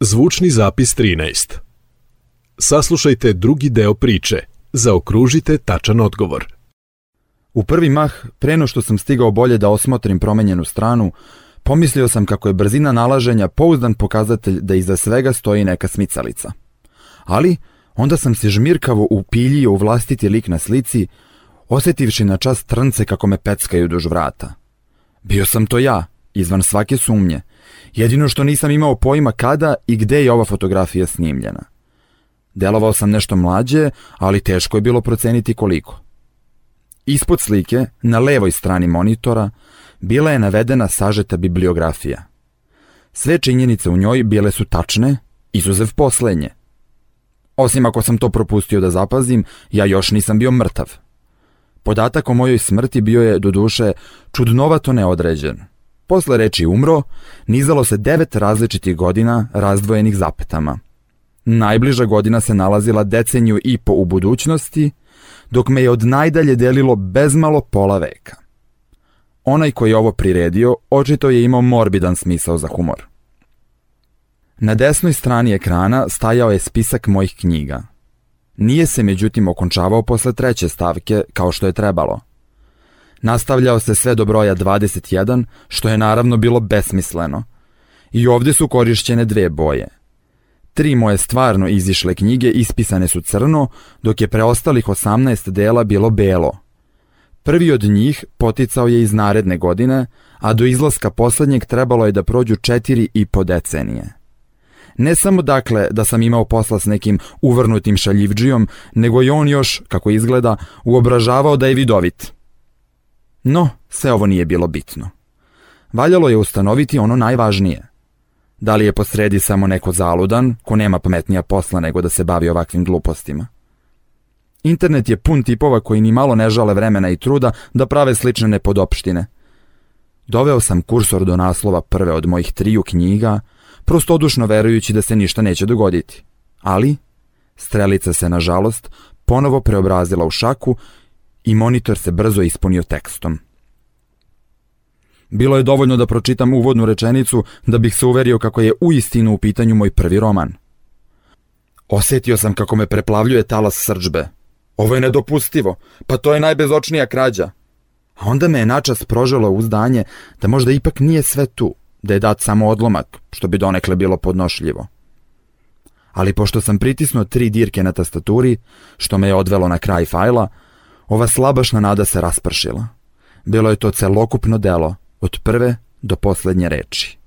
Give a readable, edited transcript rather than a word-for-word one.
Zvučni zapis 13. Saslušajte drugi deo priče. Zaokružite tačan odgovor. U prvi mah, pre no što sam stigao bolje da osmotrim promenjenu stranu, pomislio sam kako je brzina nalaženja pouzdan pokazatelj da iza svega stoji neka smicalica. Ali, onda sam se žmirkavo upiljio u vlastiti lik na slici, osjetivši na čas trnce kako me peckaju duž vrata. Bio sam to ja, izvan svake sumnje, jedino što nisam imao pojma kada i gde je ova fotografija snimljena. Delovao sam nešto mlađe, ali teško je bilo proceniti koliko. Ispod slike, na levoj strani monitora, bila je navedena sažeta bibliografija. Sve činjenice u njoj bile su tačne, izuzev poslednje. Osim ako sam to propustio da zapazim, ja još nisam bio mrtav. Podatak o mojoj smrti bio je, doduše, čudnovato neodređen. Posle reči umro, nizalo se 9 različitih godina razdvojenih zapetama. Najbliža godina se nalazila deceniju i po u budućnosti, dok me je od najdalje delilo bezmalo pola veka. Onaj koji je ovo priredio, očito je imao morbidan smisao za humor. Na desnoj strani ekrana stajao je spisak mojih knjiga. Nije se međutim okončavao posle 3. stavke kao što je trebalo. Nastavljao se sve do broja 21, što je naravno bilo besmisleno. I ovdje su korišćene 2 boje. 3 moje stvarno izišle knjige ispisane su crno, dok je preostalih 18 dela bilo belo. Prvi od njih poticao je iz naredne godine, a do izlaska poslednjeg trebalo je da prođu 4,5 decenije. Ne samo dakle da sam imao posla s nekim uvrnutim šaljivdžijom, nego i on još, kako izgleda, uobražavao da je vidovit. No, sve ovo nije bilo bitno. Valjalo je ustanoviti ono najvažnije. Da li je posredi samo neko zaludan, ko nema pametnija posla nego da se bavi ovakvim glupostima? Internet je pun tipova koji ni malo ne žale vremena i truda da prave slične nepodopštine. Doveo sam kursor do naslova prve od mojih 3 knjiga, prostodušno verujući da se ništa neće dogoditi. Ali, strelica se, nažalost, ponovo preobrazila u šaku i monitor se brzo ispunio tekstom. Bilo je dovoljno da pročitam uvodnu rečenicu da bih se uverio kako je uistinu u pitanju moj prvi roman. Osjetio sam kako me preplavljuje talas srdžbe. Ovo je nedopustivo, pa to je najbezočnija krađa. A onda me je načas proželo uzdanje da možda ipak nije sve tu, da je dat samo odlomak, što bi donekle bilo podnošljivo. Ali pošto sam pritisnuo 3 dirke na tastaturi, što me je odvelo na kraj fajla, ova slabašna nada se raspršila. Bilo je to celokupno delo, od prve do poslednje reči.